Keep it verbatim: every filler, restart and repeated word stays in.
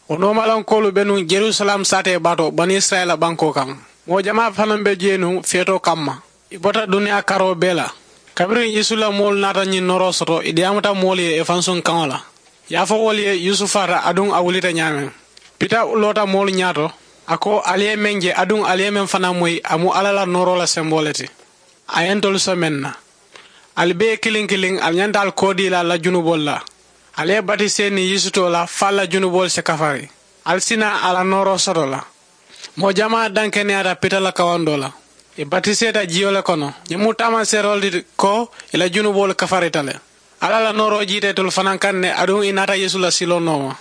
Wo noomalaŋ koolu be nuŋ jerusalem saatee baato bani isirayila bankoo kaŋ. Moo jamaa fanaŋ be jee nuŋ feetoo kamma. I bota duniyaa karoo bee la. Kabiriŋ yeesu la moolu naata ñiŋ nooroo soto i diyaamuta moolu ye i fansuŋ kaŋo la. Yaafo wolu ye yusufaata aduŋ a wulita ñaameŋ. Pita loota moolu ñaato. A ko ali ye meŋ je aduŋ ali ye meŋ fanaŋ moyi a mu alla la nooroo la semboo le ti. A ye ntolu so meŋ na. Ali bee kiliŋ kiliŋ ali ñanta ali koodii la ali la junuboolu la. Ali ye batisee niŋ yeesu too la fo ali la junuboolu si kafari. Ali si naa a la nooroo soto la. Moo jamaa dankeneyaata pita la kawandoo la. I batiseeta jiyo le kono ñiŋ mu taamaseeroo le ti ko i la junuboolu kafarita le. Alla la nooroo jiita itolu fanaa kaŋ ne aduŋ i naata yeesu la siloo nooma.